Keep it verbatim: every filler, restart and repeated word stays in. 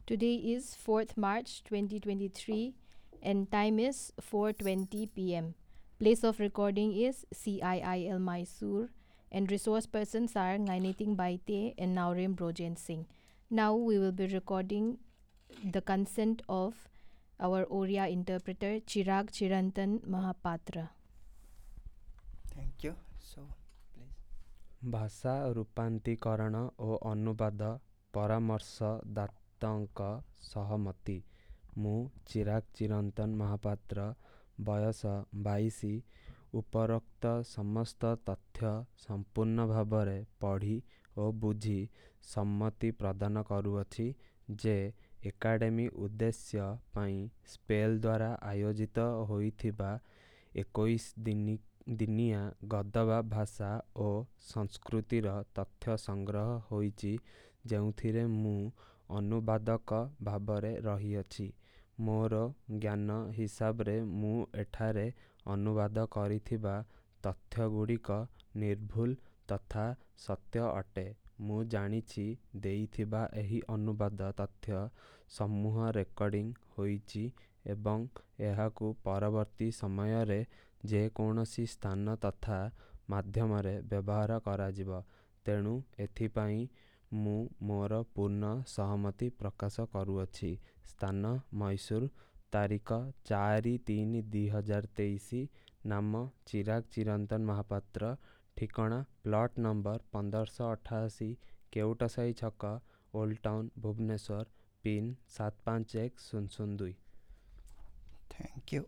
Today is fourth March twenty twenty-three and time is four twenty p m. Place of recording is C I I L Mysore and resource persons are Ngainiting Baite and Naorem Brojen Singh. Now we will be recording the consent of our Oriya interpreter Chirag Chirantan Mahapatra. Thank you. So, please. ଭାଷା ରୂପାନ୍ତୀକରଣ ଓ ଅନୁବାଦ ପରାମର୍ଶଦାତାଙ୍କ ସହମତି। ମୁଁ ଚିରାଗ ଚିରନ୍ତନ ମହାପାତ୍ର, ବୟସ ବାଇଶ, ଉପରୋକ୍ତ ସମସ୍ତ ତଥ୍ୟ ସମ୍ପୂର୍ଣ୍ଣ ଭାବରେ ପଢ଼ି ଓ ବୁଝି ସମ୍ମତି ପ୍ରଦାନ କରୁଅଛି ଯେ ଏକାଡେମୀ ଉଦ୍ଦେଶ୍ୟ ପାଇଁ ସ୍ପେଲ୍ ଦ୍ୱାରା ଆୟୋଜିତ ହୋଇଥିବା ଏକୋଇଶ ଦିନି ଦିନିଆ ଗଦବା ଭାଷା ଓ ସଂସ୍କୃତିର ତଥ୍ୟ ସଂଗ୍ରହ ହୋଇଛି, ଯେଉଁଥିରେ ମୁଁ ଅନୁବାଦକ ଭାବରେ ରହିଅଛି। ମୋର ଜ୍ଞାନ ହିସାବରେ ମୁଁ ଏଠାରେ ଅନୁବାଦ କରିଥିବା ତଥ୍ୟଗୁଡ଼ିକ ନିର୍ଭୁଲ ତଥା ସତ୍ୟ ଅଟେ। ମୁଁ ଜାଣିଛି ଦେଇଥିବା ଏହି ଅନୁବାଦ ତଥ୍ୟ ସମୂହ ରେକର୍ଡ଼ିଂ ହୋଇଛି ଏବଂ ଏହାକୁ ପରବର୍ତ୍ତୀ ସମୟରେ ଯେକୌଣସି ସ୍ଥାନ ତଥା ମାଧ୍ୟମରେ ବ୍ୟବହାର କରାଯିବ। ତେଣୁ ଏଥିପାଇଁ ମୁଁ ମୋର ପୂର୍ଣ୍ଣ ସହମତି ପ୍ରକାଶ କରୁଅଛି। ସ୍ଥାନ ମୈସୁର, ତାରିଖ ଚାରି ତିନି ଦୁଇ ହଜାର ତେଇଶ, ନାମ ଚିରାଗ ଚିରନ୍ତନ ମହାପାତ୍ର, ଠିକଣା ପ୍ଲଟ୍ ନମ୍ବର ପନ୍ଦରଶହ ଅଠାଅଶୀ, କେଉଟସାହି ଛକ, ଓଲ୍ଡ ଟାଉନ୍, ଭୁବନେଶ୍ୱର, ପିନ୍ ସାତ ପାଞ୍ଚ ଏକ ଶୂନ ଶୂନ ଦୁଇ। Thank you.